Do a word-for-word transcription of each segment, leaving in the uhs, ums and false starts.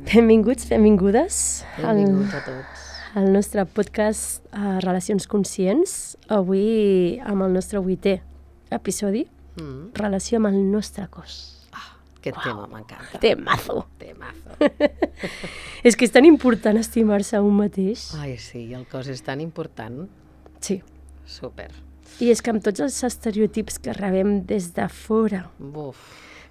Benvinguts, benvingudes Benvinguts a tots. al nostre podcast uh, Relacions Conscients. Avui amb el nostre vuitè episodi, Mm. relació amb el nostre cos. Ah, aquest tema m'encanta. Temazo! Temazo. És que és tan important estimar-se a un mateix. Ai, sí, el cos és tan important. Sí. Super. I és que amb tots els estereotips que rebem des de fora Buf,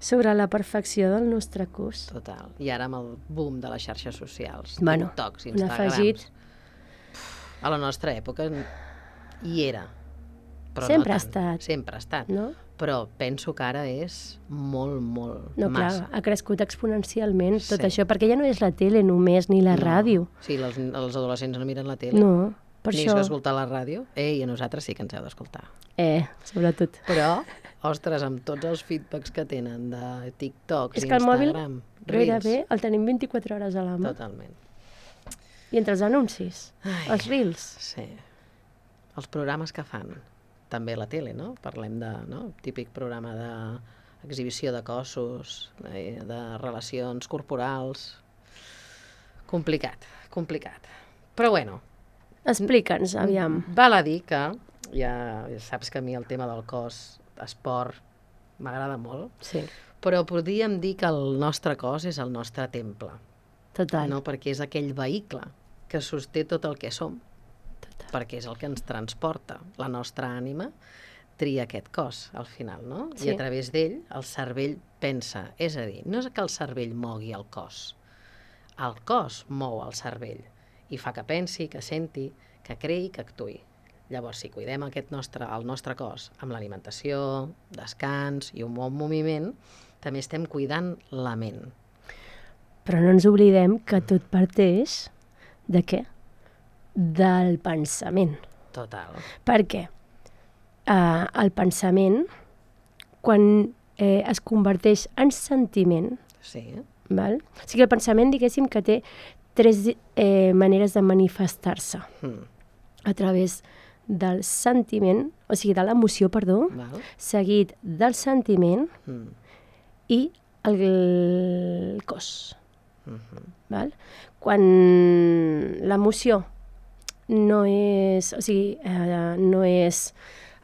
sobre la perfecció del nostre cos. total. I ara amb el boom de les xarxes socials, Bueno, TikToks, un Instagrams. afegit. A la nostra època hi era. Però Sempre no ha tant. estat. Sempre ha estat. No? Però penso que ara és molt, molt, No, massa. clar, ha crescut exponencialment tot Sí. això, perquè ja no és la tele només, ni la No. ràdio. Sí, els, els adolescents no miren la tele. No, per ni això... escoltar la ràdio. Ei, a nosaltres sí que ens heu d'escoltar. Eh, sobretot. Però, ostres, amb tots els feedbacks que tenen de TikToks, És que el mòbil Instagram, gairebé el tenim vint-i-quatre hores a la mà. Totalment. I entre els anuncis, Ai. els reels. Sí. Els programes que fan, també a la tele, no? Parlem de, no? Típic programa d'exhibició de cossos, de, de relacions corporals. Complicat, complicat. Però bueno, Explica'ns, aviam. val a dir que, ja saps que a mi el tema del cos, esport, m'agrada molt, Sí, però podríem dir que el nostre cos és el nostre temple, total. no? Perquè és aquell vehicle que sosté tot el que som, total. perquè és el que ens transporta. La nostra ànima tria aquest cos, al final, no? Sí. I a través d'ell el cervell pensa. És a dir, no és que el cervell mogui el cos, el cos mou el cervell i fa que pensi, que senti, que creï, que actuï. Llavors, si cuidem aquest nostre, el nostre cos amb l'alimentació, descans i un bon moviment, també estem cuidant la ment. Però no ens oblidem que tot parteix de què? Del pensament. Total. Per què? Uh, el pensament, quan eh, es converteix en sentiment, Sí. val? O sigui, el pensament, diguéssim, que té tres eh, maneres de manifestar-se. Mm. A través del sentiment, o sigui, de l'emoció, perdó, Val? seguit del sentiment Mm. i el cos. Mhm. Val? Quan l'emoció no és, o sigui, eh, no és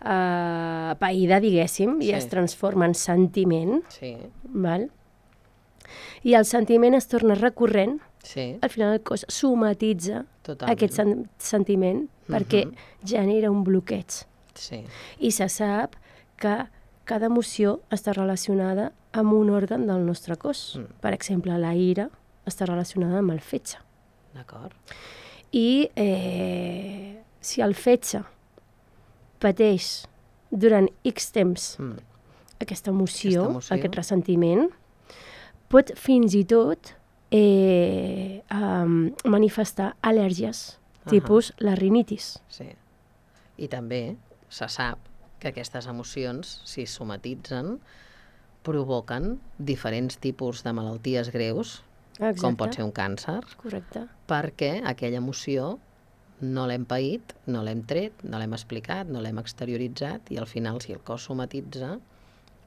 eh, païda, diguéssim, Sí. i es transforma en sentiment, Sí, val? I el sentiment es torna recurrent, sí, al final el cos somatitza totalment. aquest sen sentiment perquè Mhm. genera un bloqueig. Sí, I se sap que cada emoció està relacionada amb un òrgan del nostre cos. Mm. Per exemple, la ira està relacionada amb el fetge. d'acord. I eh, si el fetge pateix durant X temps Mm. aquesta emoció, Aquesta emoció. aquest ressentiment, pot fins i tot eh, um, manifestar al·lèrgies, Ahà. tipus la rinitis. Sí. I també se sap que aquestes emocions, si es somatitzen, provoquen diferents tipus de malalties greus, Exacte. com pot ser un càncer, Correcte. perquè aquella emoció no l'hem paït, no l'hem tret, no l'hem explicat, no l'hem exterioritzat, i al final, si el cos somatitza,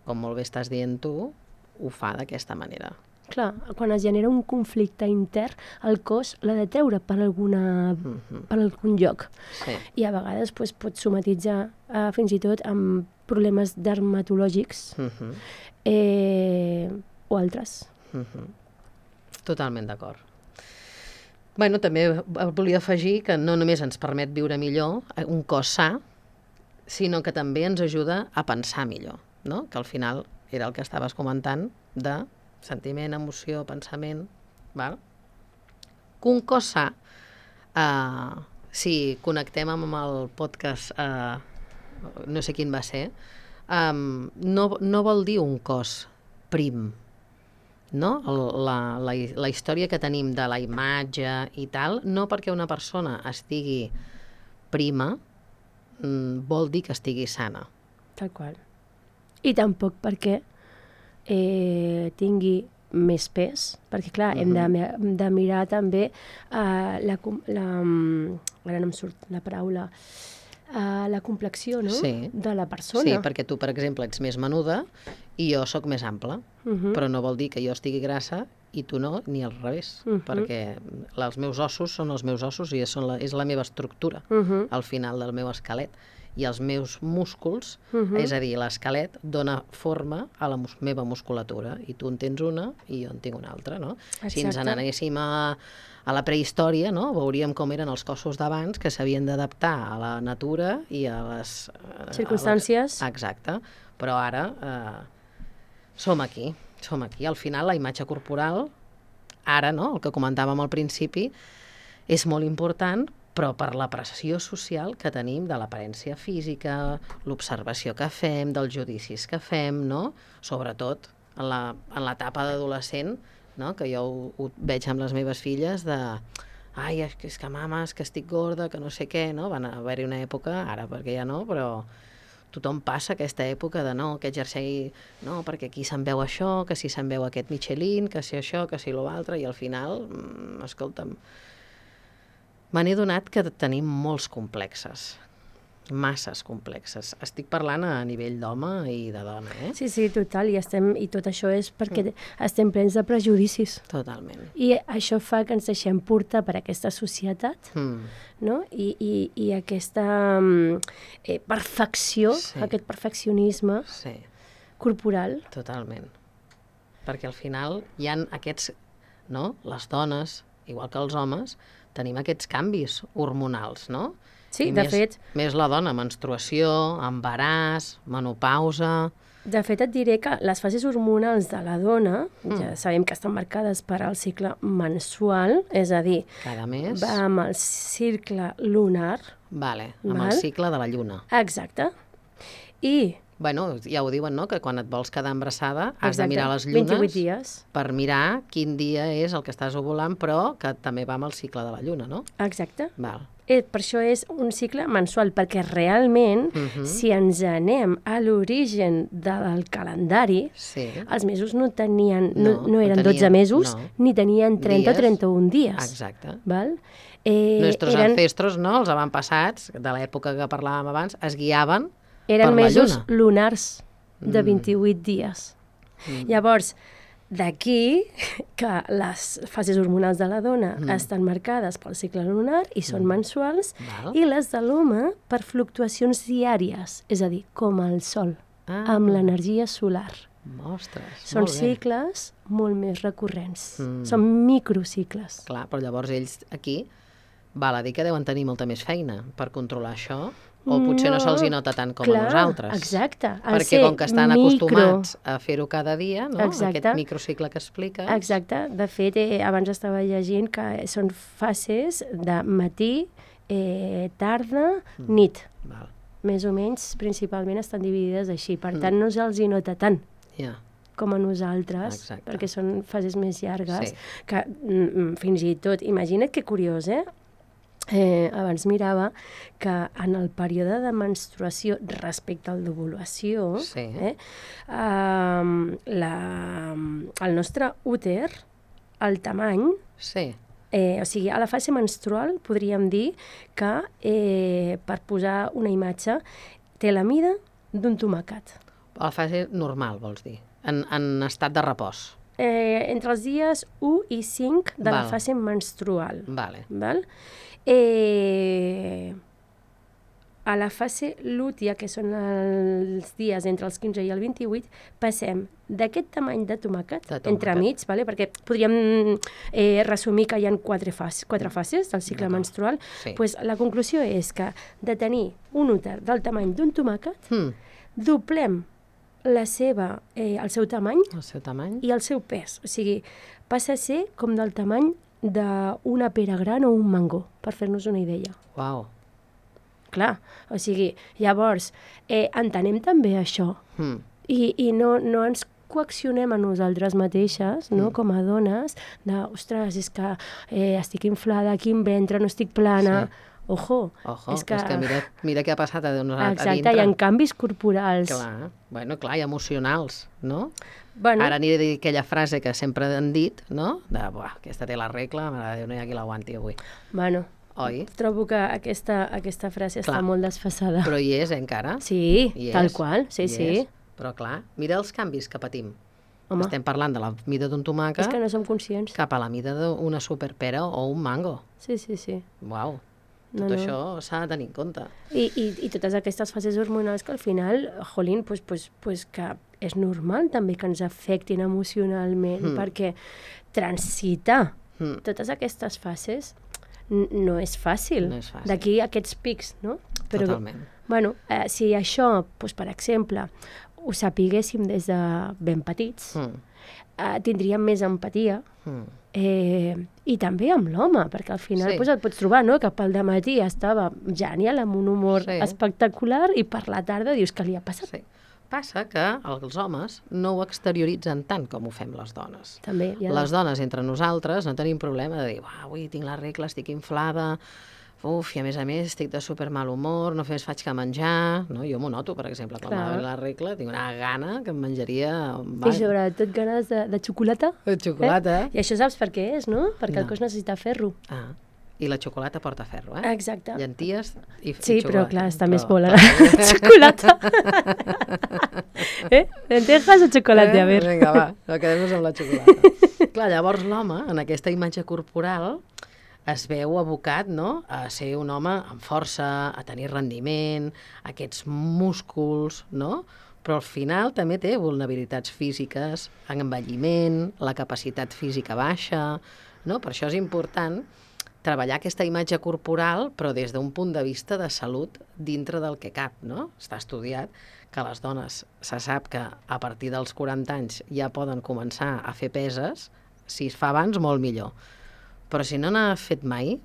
com molt bé estàs dient tu, ho fa d'aquesta manera. Clar, quan es genera un conflicte intern, el cos l'ha de treure per, alguna, Mhm. per algun lloc. Sí, I a vegades pues, pot somatitzar eh, fins i tot amb problemes dermatològics Mhm. eh, o altres. Mhm. Totalment d'acord. Bueno, també volia afegir que no només ens permet viure millor, eh, un cos sa, sinó que també ens ajuda a pensar millor, no? Que al final era el que estaves comentant de sentiment, emoció, pensament, val? Que un cos sa, eh, si connectem amb el podcast, eh, no sé quin va ser, eh, no, no vol dir un cos prim, no? El, la, la, la història que tenim de la imatge i tal, no perquè una persona estigui prima mm, vol dir que estigui sana. Tal qual. I tampoc perquè eh, tingui més pes, perquè clar, hem de, mi- hem de mirar també eh, la, com- la, mm, ara no em surt la paraula, eh, la complexió, no? Sí. De la persona. Sí, perquè tu, per exemple, ets més menuda i jo sóc més ampla, Uh -huh. però no vol dir que jo estigui grassa i tu no, ni al revés, Uh -huh. perquè els meus ossos són els meus ossos i són la, és la meva estructura, Uh -huh. al final del meu esquelet. I els meus músculs, Uh -huh. és a dir, l'esquelet dona forma a la mus meva musculatura, i tu en tens una i jo en tinc una altra, no? Exacte. Si ens n'anéssim a, a la prehistòria, no? Veuríem com eren els cossos d'abans que s'havien d'adaptar a la natura i a les... circumstàncies. A les... Exacte, però ara eh, som aquí, som aquí. Al final, la imatge corporal, ara, no?, el que comentàvem al principi, és molt important, però per la pressió social que tenim de l'aparència física, l'observació que fem, dels judicis que fem, no? Sobretot en la, en l'etapa d'adolescent, no? Que jo ho, ho veig amb les meves filles de ai, és que, és que mama, és que estic gorda, que no sé què, no? Van haver-hi una època, ara perquè ja no, però tothom passa aquesta època de no, aquest jersei, no, perquè aquí se'n veu això, que si se'n veu aquest Michelin, que si això, que si l'altre, i al final, mmm, escolta'm, me n'he donat que tenim molts complexes, masses complexes. Estic parlant a nivell d'home i de dona, eh? Sí, sí, total, i, estem, i tot això és perquè mm. estem plens de prejudicis. Totalment. I això fa que ens deixem portar per aquesta societat, mm. no? I, i, i aquesta eh, perfecció, sí. aquest perfeccionisme sí. corporal. Totalment. Perquè al final hi ha aquests, no? Les dones, igual que els homes, tenim aquests canvis hormonals, no? Sí, I de més, fet... Més la dona, menstruació, embaràs, menopausa... De fet, et diré que les fases hormonals de la dona, mm. ja sabem que estan marcades per al cicle mensual, és a dir, cada mes va amb el cicle lunar. Vale, amb val? el cicle de la lluna. Exacte. I... Bueno, ja ho diuen, no?, que quan et vols quedar embarassada has Exacte. de mirar les llunes vint-i-vuit dies. Per mirar quin dia és el que estàs ovulant, però que també va amb el cicle de la lluna, no? Exacte. Val. Eh, per això és un cicle mensual, perquè realment, uh -huh. si ens anem a l'origen del calendari, sí. els mesos no tenien, no, no, no eren no tenien, dotze mesos, no. ni tenien trenta dies. o trenta-un dies. Exacte. Val? Eh, Nostres eren, ancestros, no?, els avantpassats, de l'època que parlàvem abans, es guiaven eren per la mesos lluna. lunars de Mm. vint-i-vuit dies. Mm. Llavors, d'aquí que les fases hormonals de la dona mm. estan marcades pel cicle lunar i són mm. mensuals, Val. i les de l'home per fluctuacions diàries, és a dir, com el sol, ah. amb l'energia solar. Ostres, Són molt bé. cicles molt més recurrents. Mm. Són microcicles. Clar, però llavors ells aquí val a dir que deuen tenir molta més feina per controlar això, o potser no, no se'ls hi nota tant com clar, a nosaltres. Exacte. Perquè com que estan micro... acostumats a fer-ho cada dia, no? Exacte. Aquest microcicle que expliques. Exacte. De fet, eh, abans estava llegint que són fases de matí, eh, tarda, mm. nit. Val. Més o menys, principalment, estan dividides així. Per tant, mm. no se'ls hi nota tant. Yeah. com a nosaltres, Exacte. perquè són fases més llargues, sí. que mm, fins i tot, imagina't que curiós, eh? Eh, abans mirava que en el període de menstruació respecte al d'ovulació, sí. eh, eh, la, el nostre úter, el tamany, sí. eh, o sigui, a la fase menstrual podríem dir que, eh, per posar una imatge, té la mida d'un tomàquet. A la fase normal, vols dir? En, en estat de repòs. Eh, entre els dies u i cinc de Val. la fase menstrual. Vale. Val? Eh, a la fase lútea, que són els dies entre els quinze i el vint-i-vuit, passem d'aquest tamany de tomàquet, de tomàquet. entremig, vale? Perquè podríem eh, resumir que hi ha quatre, fas, quatre fases del cicle menstrual. Sí. Pues, la conclusió és que de tenir un úter del tamany d'un tomàquet, hmm. doblem la seva, eh, el seu tamany, el seu tamany i el seu pes. O sigui, passa a ser com del tamany d'una pera gran o un mango, per fer-nos una idea. Uau. Clar, o sigui, llavors, eh, entenem també això. Hmm. I, i no, no ens coaccionem a nosaltres mateixes, no? Mm. Com a dones, de, ostres, és que eh, estic inflada, aquí em ventre, no estic plana... Sí. Ojo, Ojo, és que... és que mira, mira què ha passat a, a Exacte, dintre. hi ha canvis corporals. Clar, bueno, clar, i emocionals, no? Bueno, Ara aniré a dir aquella frase que sempre han dit, no? De, buah, aquesta té la regla, mare de Déu, no hi ha qui l'aguanti avui. Bueno, Oi? trobo que aquesta, aquesta frase Clar. està molt desfasada. Però hi és, eh, encara? Sí, Hi tal és, qual, sí, hi sí. és. Però clar, mira els canvis que patim. Home. Estem parlant de la mida d'un tomàquet És que no som conscients. cap a la mida d'una superpera o un mango. Sí, sí, sí. Uau, No, tot no. això s'ha de tenir en compte. I, i, i totes aquestes fases hormonals que al final, jolín, pues, pues, pues que és normal també que ens afectin emocionalment, Mm. perquè transitar Mm. totes aquestes fases n- no és fàcil. No és fàcil. D'aquí aquests pics, no? Però, Totalment. bueno, eh, si això, pues, per exemple, ho sapiguéssim des de ben petits, Mm. eh, tindríem més empatia, Mm. eh, i també amb l'home, perquè al final Sí. pues, et pots trobar, no?, que pel dematí estava genial, amb un humor Sí. espectacular, i per la tarda dius que li ha passat. Sí. Passa que els homes no ho exterioritzen tant com ho fem les dones. També, ja Les dones, entre nosaltres, no tenim problema de dir, "Uah, avui tinc la regla, estic inflada, uf, i a més a més estic de super mal humor, no fes faig que menjar." No? Jo m'ho noto, per exemple, quan Clar. m'ha la regla, tinc una gana que em menjaria... I sobretot ganes de, de xocolata. De xocolata. Eh? I això saps per què és, no? Perquè No. el cos necessita ferro. Ah, i la xocolata porta ferro, eh? Exacte. Llenties i, i Sí, però xocolata. clar, està més Però- bona la però- xocolata. eh? Lentejas o xocolata? A veure. Vinga, va, no quedem-nos amb la xocolata. Clar, llavors l'home, en aquesta imatge corporal, es veu abocat, no?, a ser un home amb força, a tenir rendiment, aquests músculs, no?, però al final també té vulnerabilitats físiques, envelliment, la capacitat física baixa, no? Per això és important treballar aquesta imatge corporal, però des d'un punt de vista de salut dintre del que cap, no? Està estudiat que les dones se sap que a partir dels quaranta anys ja poden començar a fer peses, si es fa abans molt millor. Però si no n'ha fet mai,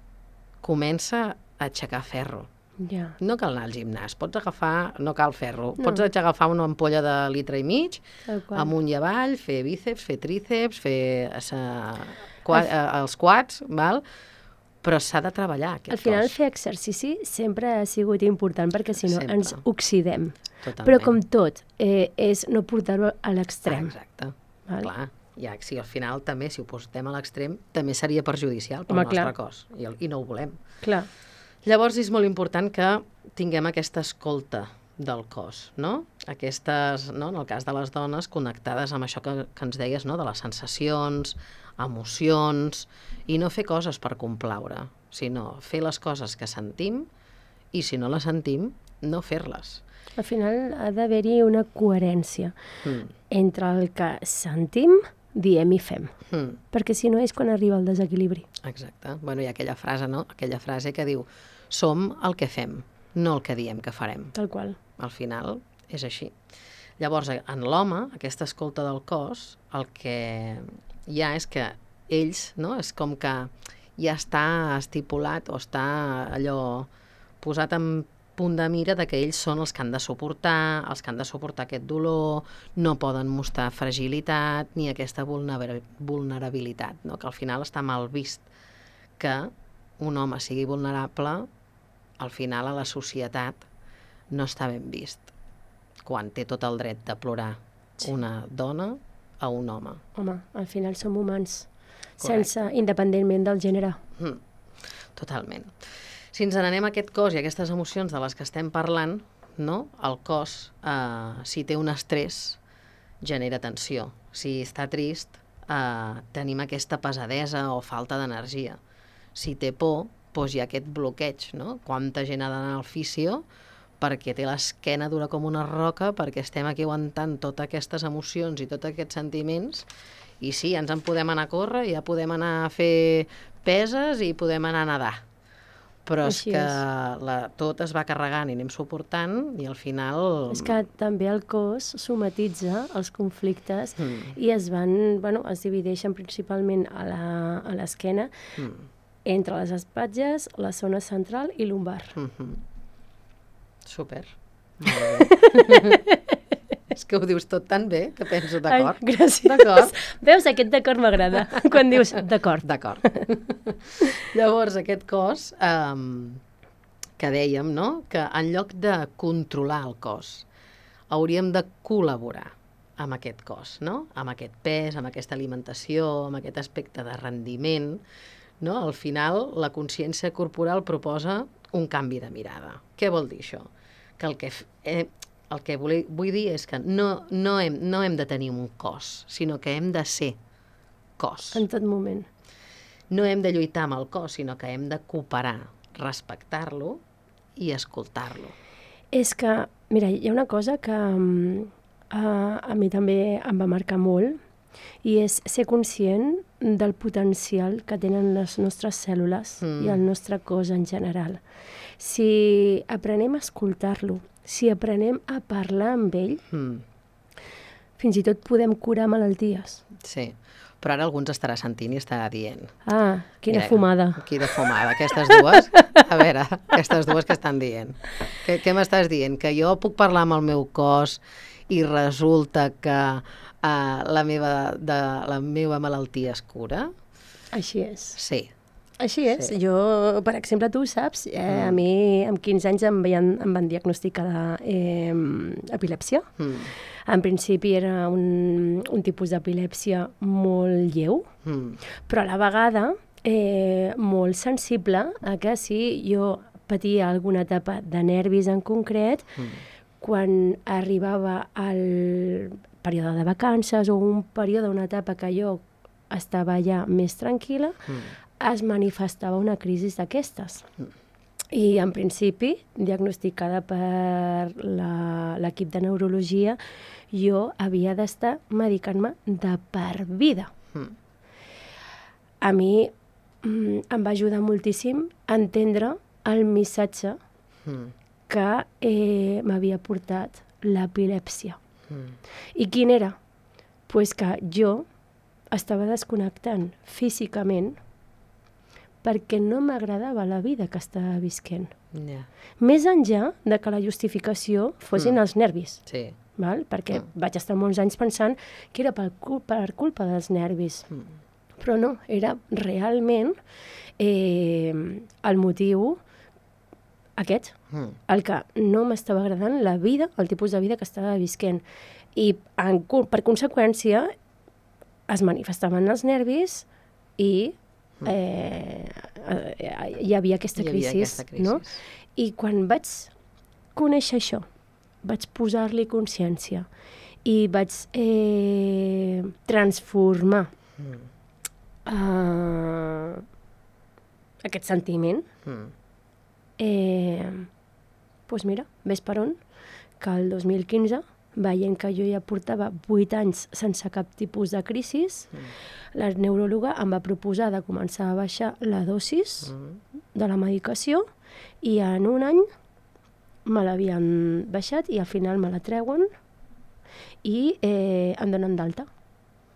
comença a aixecar ferro. Ja. No cal anar al gimnàs, pots agafar, no cal ferro, No. pots agafar una ampolla de litre i mig, Tal qual. amunt i avall, fer bíceps, fer tríceps, fer eh, qua, eh, els quads, val? Però s'ha de treballar aquest Al final, cos. fer exercici sempre ha sigut important, perquè si no Sempre. ens oxidem. Totalment. Però com tot, eh, és no portar-ho a l'extrem. Exacte, Val? clar. Ja, si al final també, si ho portem a l'extrem, també seria perjudicial pel Home, nostre clar. cos, i, el- i no ho volem. Clar. Llavors és molt important que tinguem aquesta escolta del cos, no? Aquestes, no? En el cas de les dones, connectades amb això que, que ens deies, no? De les sensacions, emocions, i no fer coses per complaure, sinó fer les coses que sentim, i si no les sentim, no fer-les. Al final ha d'haver-hi una coherència Mm. entre el que sentim, diem i fem. Mm. Perquè si no és quan arriba el desequilibri. Exacte. Bueno, hi ha aquella frase, no? Aquella frase que diu, som el que fem, no el que diem que farem. Tal qual. Al final és així. Llavors, en l'home, aquesta escolta del cos, el que hi ha és que ells, no? És com que ja està estipulat o està allò posat en punt de mira de que ells són els que han de suportar, els que han de suportar aquest dolor, no poden mostrar fragilitat ni aquesta vulnera- vulnerabilitat, no? Que al final està mal vist que un home sigui vulnerable, al final a la societat no està ben vist quan té tot el dret de plorar Sí. una dona a un home. Home, al final som humans, Correcte. sense, independentment del gènere. Mm, totalment. Si ens n'anem a aquest cos i a aquestes emocions de les que estem parlant, no? El cos, eh, si té un estrès, genera tensió. Si està trist, eh, tenim aquesta pesadesa o falta d'energia. Si té por, doncs hi ha aquest bloqueig, no? Quanta gent ha d'anar al fisio perquè té l'esquena dura com una roca, perquè estem aquí aguantant totes aquestes emocions i tots aquests sentiments, i sí, ens en podem anar a córrer, ja podem anar a fer peses i podem anar a nedar. Però és Així que és. la, tot es va carregant i anem suportant i al final... És que també el cos somatitza els conflictes Mm. i es van, bueno, es divideixen principalment a la- a l'esquena Mm. entre les espatlles, la zona central i lumbar. Mm-hmm. Super. Molt bé. És que ho dius tot tan bé que penso d'acord. Ai, gràcies. D'acord. Veus, aquest d'acord m'agrada, quan dius d'acord. D'acord. Llavors, aquest cos, um, que dèiem, no?, que en lloc de controlar el cos, hauríem de col·laborar amb aquest cos, no?, amb aquest pes, amb aquesta alimentació, amb aquest aspecte de rendiment, no? Al final, la consciència corporal proposa un canvi de mirada. Què vol dir això? Que el que f- eh, el que vull, vull dir és que no, no, hem, no hem de tenir un cos, sinó que hem de ser cos. En tot moment. No hem de lluitar amb el cos, sinó que hem de cooperar, respectar-lo i escoltar-lo. És que, mira, hi ha una cosa que um, a, a mi també em va marcar molt, i és ser conscient del potencial que tenen les nostres cèl·lules mm. i el nostre cos en general. Si aprenem a escoltar-lo, si aprenem a parlar amb ell, mm. fins i tot podem curar malalties. Sí, però ara algú ens estarà sentint i estarà dient... Ah, quina Mira, fumada. Quina fumada, aquestes dues. A veure, aquestes dues que estan dient. Què, què m'estàs dient? Que jo puc parlar amb el meu cos i resulta que uh, la, meva, de, la meva malaltia es cura? Així és. Sí. Així és. Sí. Jo, per exemple, tu ho saps, eh, mm. a mi amb quinze anys em, veien, em van diagnosticar eh, epilèpsia. Mm. En principi era un, un tipus d'epilèpsia molt lleu, mm. però a la vegada eh, molt sensible a que si jo patia alguna etapa de nervis en concret, mm. quan arribava al període de vacances o un període, una etapa que jo estava ja més tranquil·la, mm. es manifestava una crisi d'aquestes. Mm. I, en principi, diagnosticada per l'equip de neurologia, jo havia d'estar medicant-me de per vida. Mm. A mi mm, em va ajudar moltíssim a entendre el missatge mm. que eh, m'havia portat l'epilèpsia. Mm. I quin era? Pues que jo estava desconnectant físicament perquè no m'agradava la vida que estava visquent. Yeah. Més enllà de que la justificació fossin mm. els nervis. Sí. Val? Perquè mm. vaig estar molts anys pensant que era per, cul per culpa dels nervis. Mm. Però no, era realment eh, el motiu aquest, mm. el que no m'estava agradant la vida, el tipus de vida que estava visquent. I en, per conseqüència es manifestaven els nervis i Eh, eh, hi havia aquesta crisi, aquesta crisi. No? I quan vaig conèixer això, vaig posar-li consciència i vaig eh, transformar mm. uh, aquest sentiment, mm. eh, doncs mira, ves per on, que el dos mil quinze, veient que jo ja portava vuit anys sense cap tipus de crisi, mm. la neuròloga em va proposar de començar a baixar la dosis mm. de la medicació i en un any me l'havien baixat i al final me la treuen i eh, em donen d'alta.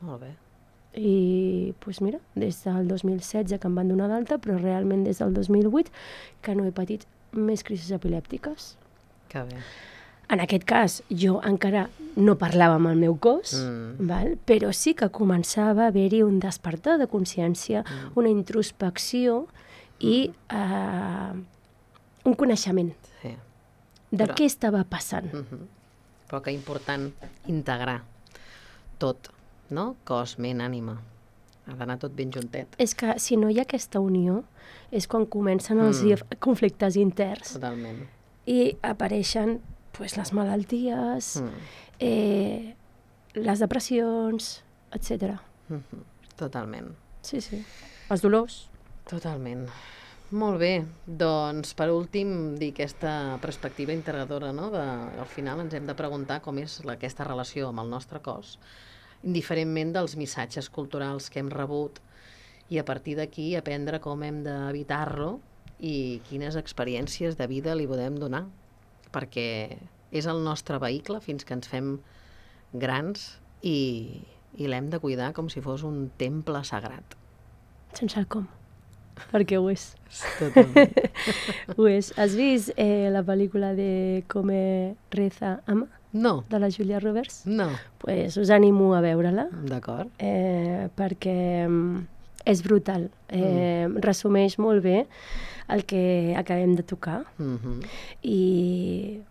Molt bé. I doncs mira, des del dos mil setze que em van donar d'alta, però realment des del dos mil vuit que no he patit més crisis epilèptiques. Que bé. En aquest cas, jo encara no parlava amb el meu cos, mm. val? Però sí que començava a haver-hi un despertar de consciència, mm. una introspecció i uh, un coneixement sí. de Però... què estava passant. Mm-hmm. Però que important integrar tot, no? Cos, ment, ànima. Ha d'anar tot ben juntet. És que si no hi ha aquesta unió, és quan comencen els mm. conflictes interns. Totalment. I apareixen pues, les malalties, mm. eh, les depressions, etcètera. Mm-hmm. Totalment. Sí, sí. Els dolors. Totalment. Molt bé. Doncs, per últim, dir aquesta perspectiva integradora, no? De, al final ens hem de preguntar com és la, aquesta relació amb el nostre cos, indiferentment dels missatges culturals que hem rebut, i a partir d'aquí aprendre com hem d'evitar-lo i quines experiències de vida li podem donar, perquè és el nostre vehicle fins que ens fem grans i, i l'hem de cuidar com si fos un temple sagrat. Sense el com, perquè ho és. Totalment. Ho és. Has vist eh, la pel·lícula de Come, Reza, Ama? No. De la Julia Roberts? No. Pues us animo a veure-la. D'acord. Eh, perquè és brutal. Eh, mm. Resumeix molt bé el que acabem de tocar. Mm-hmm. I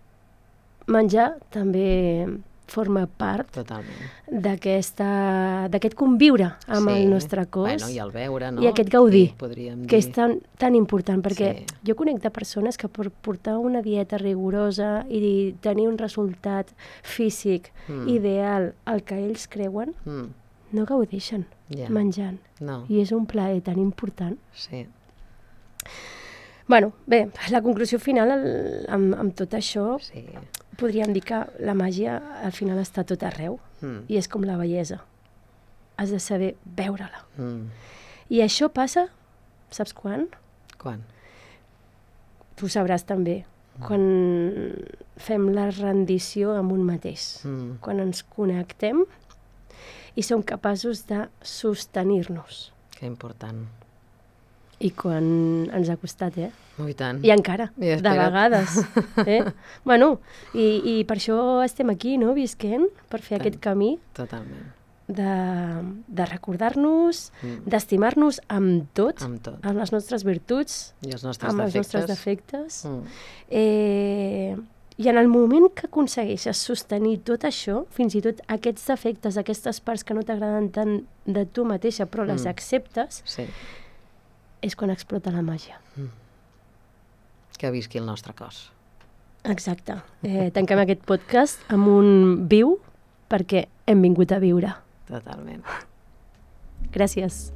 menjar també forma part Totalment. d'aquesta- d'aquest conviure amb Sí. el nostre cos. Bueno, i el veure, no? I aquest gaudir, Sí, podríem que dir. és tan, tan important, perquè Sí. jo conec de persones que per portar una dieta rigorosa i tenir un resultat físic Mm. ideal al que ells creuen, Mm. no gaudeixen Ja. menjant. No, I és un plaer tan important. sí. Bueno, bé, la conclusió final el, amb, amb tot això, Sí. podríem dir que la màgia al final està tot arreu Mm. i és com la bellesa. Has de saber veure-la. Mm. I això passa, saps quan? Quan? Tu sabràs també, quan fem la rendició amb un mateix, Mm. quan ens connectem i som capaços de sostenir-nos. Que important. I quan ens ha costat, eh? Oh, i tant. I encara, I de espera't. vegades. Eh? Bueno, i, i per això estem aquí, no?, visquent, per fer Tant. aquest camí Totalment. de, de recordar-nos, Mm. d'estimar-nos amb tot, Amb tot. amb les nostres virtuts, I els nostres amb els defectes. nostres defectes. Mm. Eh, I en el moment que aconsegueixes sostenir tot això, fins i tot aquests defectes, aquestes parts que no t'agraden tant de tu mateixa, però les Mm. acceptes, Sí. és quan explota la màgia. Que visqui el nostre cos. Exacte. Eh, tanquem aquest podcast amb un viu perquè hem vingut a viure. Totalment. Gràcies.